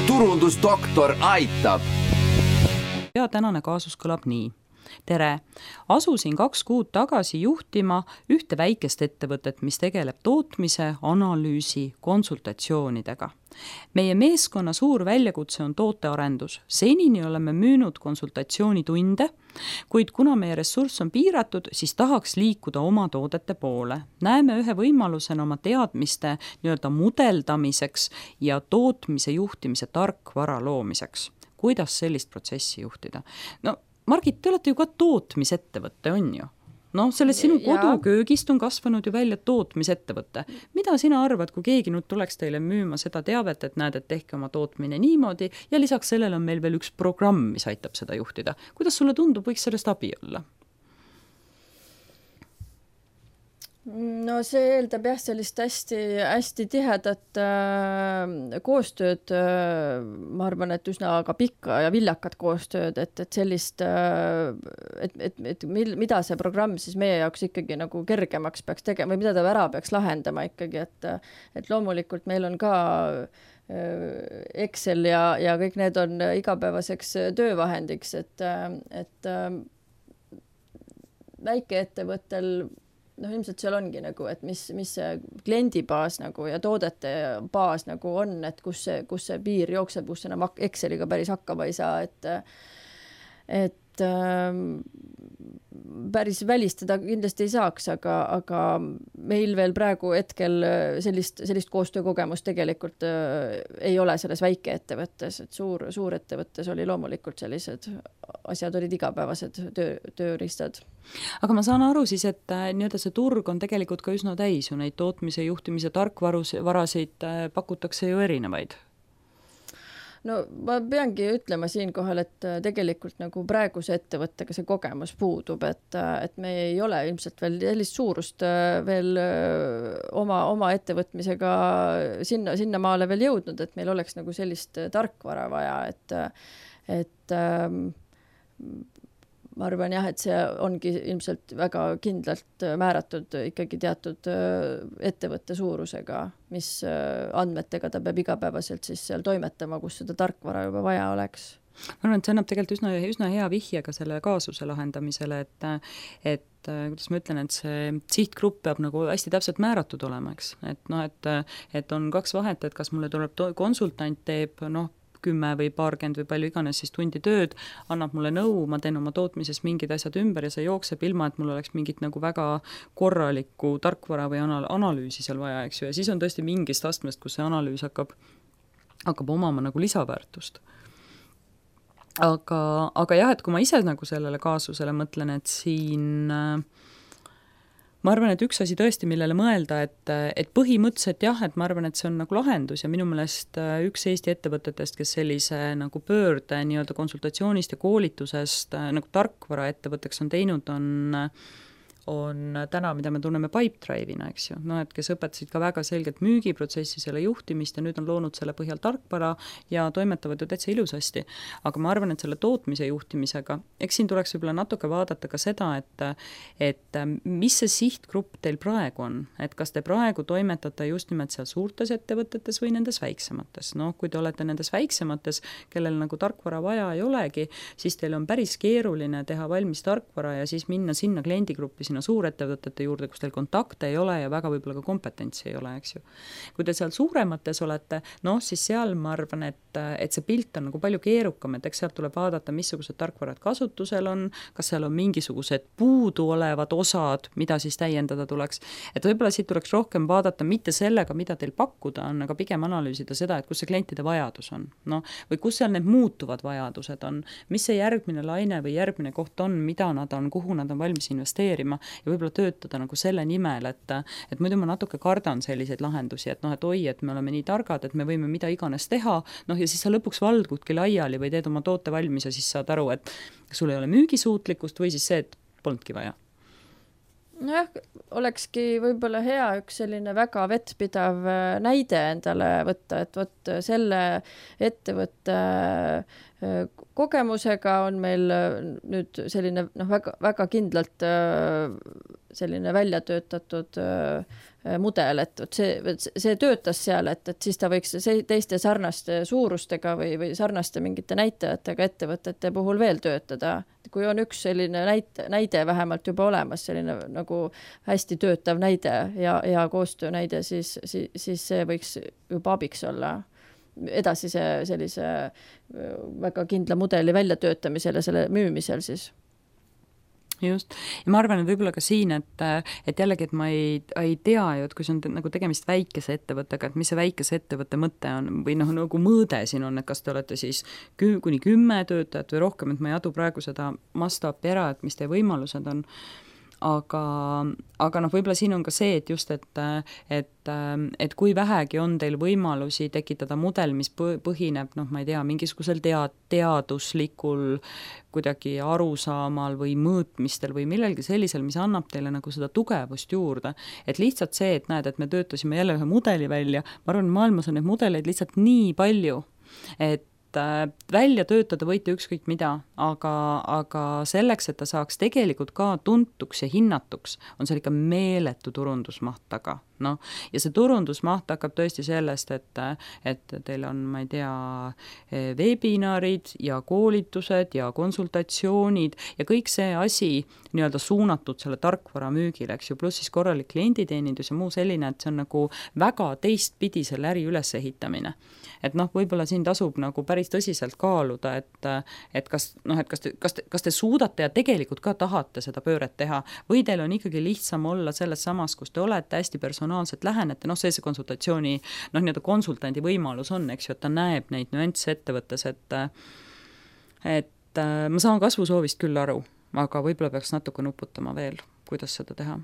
turundusdoktor aitab. Ja tänane kaasus kõlab nii. Tere! Asusin 2 kuud tagasi juhtima ühte väikest ettevõtet, mis tegeleb tootmise, analüüsi, konsultatsioonidega. Meie meeskonna suur väljakutse on tootearendus. Senini oleme müünud konsultatsioonitunde, kuid kuna meie ressurss on piiratud, siis tahaks liikuda oma toodete poole. Näeme ühe võimalusena oma teadmiste mudeldamiseks ja tootmise juhtimise tarkvara loomiseks. Kuidas sellist protsessi juhtida? No, Margit, te olete ju ka tootmisettevõtte, on ju? No, selles sinu koduköögist on kasvanud ju välja tootmisettevõtte. Mida sina arvad, kui keegi nüüd tuleks teile müüma seda teavet, et näed, et tehke oma tootmine niimoodi ja lisaks sellele on meil veel üks programm, mis aitab seda juhtida. Kuidas sulle tundub, võiks sellest abi olla? No see eeldab jah sellist hästi tihedat koostööd, ma arvan, et üsna ka pikka ja viljakat koostööd, et sellist, et mida see programm siis meie jaoks ikkagi nagu kergemaks peaks tegema või mida ta ära peaks lahendama ikkagi, et loomulikult meil on ka Excel ja kõik need on igapäevaseks töövahendiks, et väikeettevõttel ilmselt seal ongi nagu, et mis see kliendibaas nagu ja toodete baas nagu on, et kus see piir jookseb, kus enam Exceliga päris hakkama ei saa, et päris välistada kindlasti ei saaks, aga meil veel praegu hetkel sellist koostöökogemust tegelikult ei ole selles väikeettevõttes, et suurettevõttes oli loomulikult sellised asjad olid igapäevased tööriistad. Aga ma saan aru siis, et see turg on tegelikult ka üsna täis ju neid tootmise juhtimise tarkvarasid pakutakse ju erinevaid. No ma peangi ütlema siinkohal, et tegelikult nagu praeguse ettevõttega see kogemus puudub, et me ei ole ilmselt veel sellist suurust veel oma ettevõtmisega sinna maale veel jõudnud, et meil oleks nagu sellist tarkvara vaja, et ma arvan jah, et see ongi ilmselt väga kindlalt määratud ikkagi teatud ettevõtte suurusega, mis andmetega ta peab igapäevaselt siis seal toimetama, kus seda tarkvara juba vaja oleks. Ma arvan, et see annab tegelikult üsna hea vihje ka selle kaasuse lahendamisele, et kuidas ma ütlen, et see sihtgrupp peab nagu hästi täpselt määratud olema, eks? Et on 2 vahet, et kas mulle tuleb konsultant teeb 10 või paarkümmend või palju iganes siis tundi tööd, annab mulle nõu, ma teen oma tootmises mingid asjad ümber ja see jookseb ilma, et mul oleks mingit nagu väga korralikku tarkvara või analüüsi seal vaja, eks ju, ja siis on tõesti mingist astmest, kus see analüüs hakkab omama nagu lisaväärtust. Aga jah, et kui ma ise nagu sellele kaasusele mõtlen, et siin ma arvan, et üks asi tõesti, millele mõelda, et põhimõtteliselt jah, et ma arvan, et see on nagu lahendus ja minu meelest üks Eesti ettevõtetest, kes sellise nagu pöörde konsultatsioonist ja koolitusest nagu tarkvara ettevõtteks on teinud, on täna, mida me tunneme Pipedrive'ina, eks ju. Et kes õpetasid ka väga selgelt müügiprotsessi, selle juhtimist ja nüüd on loonud selle põhjal tarkvara ja toimetavad ju täitsa ilusasti. Aga ma arvan, et selle tootmise juhtimisega, eks siin tuleks võib-olla natuke vaadata ka seda, et mis see sihtgrupp teil praegu on. Et kas te praegu toimetate just nimelt seal suurtes ettevõtetes või nendes väiksemates. Kui te olete nendes väiksemates, kellel nagu tarkvara vaja ei olegi, siis teil on päris keeruline teha valmis tarkvara ja siis minna sinna kliendigruppi sinna suurettevõtete juurde, kus teil kontakte ei ole ja väga võib-olla ka kompetentsi ei ole, eks ju. Kui te seal suuremates olete, siis seal ma arvan, et see pilt on nagu palju keerukam, et eks sealt tuleb vaadata, missugused tarkvarad kasutusel on, kas seal on mingisugused puudu olevad osad, mida siis täiendada tuleks. Et võib-olla siit tuleks rohkem vaadata mitte sellega, mida teil pakkuda on, aga pigem analüüsida seda, et kus see klientide vajadus on. Või kus seal need muutuvad vajadused on, mis see järgmine laine või järgmine koht on, mida nad on, kuhu nad on valmis investeerima ja võib-olla töötada nagu selle nimel, et muidu ma natuke kardan selliseid lahendusi, et et me oleme nii targad, et me võime mida iganes teha, ja siis sa lõpuks valdudki laiali või teed oma toote valmis ja siis saad aru, et sul ei ole müügisuutlikkust või siis see, et polnudki vaja. Nojah, olekski võib-olla hea üks selline väga vettpidav näide endale võtta, et vot selle ettevõtte kogemusega on meil nüüd selline väga, väga kindlalt selline välja töötatud mudel, et see töötas seal, et siis ta võiks teiste sarnaste suurustega või sarnaste mingite näitajatega ettevõtete puhul veel töötada. Kui on üks selline näide vähemalt juba olemas, selline nagu hästi töötav näide ja koostöö näide, siis see võiks juba abiks olla edasise sellise väga kindla mudeli väljatöötamisel ja selle müümisel siis. Just. Ja ma arvan, et võib-olla ka siin, et jällegi, et ma ei tea ju, et kui see on nagu tegemist väikese ettevõttega, et mis see väikese ettevõtte mõte on või nagu mõõde siin on, et kas te olete siis kuni 10 töötajat või rohkem, et ma ei adu praegu seda mastaapi ära, et mis teie võimalused on. Aga võib-olla siin on ka see, et just, et kui vähegi on teil võimalusi tekitada mudel, mis põhineb, ma ei tea, mingisugusel teaduslikul kuidagi arusaamal või mõõtmistel või millelgi sellisel, mis annab teile nagu seda tugevust juurde. Et lihtsalt see, et näed, et me töötasime jälle ühe mudeli välja, ma arvan, maailmas on neid mudeleid lihtsalt nii palju, et välja töötada võite ükskõik mida, aga selleks, et ta saaks tegelikult ka tuntuks ja hinnatuks, on seal ikka meeletu turundusmaht taga. Ja see turundusmaht hakkab tõesti sellest, et teil on, ma ei tea, webinarid ja koolitused ja konsultatsioonid ja kõik see asi nii-öelda suunatud selle tarkvara müügile, eks ju, pluss siis korralik klienditeenindus ja muu selline, et see on nagu väga teistpidi selle äri ülesehitamine. Et võib-olla siin tasub nagu päris tõsiselt kaaluda, et kas te suudate ja tegelikult ka tahate seda pööret teha või teil on ikkagi lihtsam olla selles samas, kus te olete hästi personaalselt lähenete, see konsultatsiooni, nii-öelda konsultandi võimalus on, eks ju, et ta näeb neid nüansse ettevõttes, et ma saan kasvusoovist küll aru, aga võib-olla peaks natuke nuputama veel, kuidas seda teha.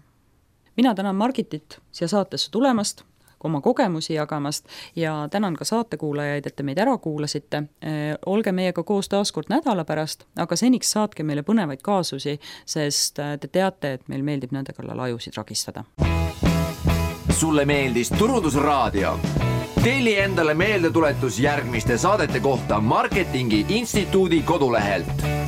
Mina tänan Margitit siia saatesse tulemast, oma kogemusi jagamast ja tänan ka saatekuulajaid, et te meid ära kuulasite. Olge meiega koos taaskord nädala pärast, aga seniks saatke meile põnevaid kaasusi, sest te teate, et meil meeldib nende kallal ajusid ragistada. Sulle meeldis Turundusraadio? Telli endale meeldetuletus järgmiste saadete kohta Marketingi Instituudi kodulehelt.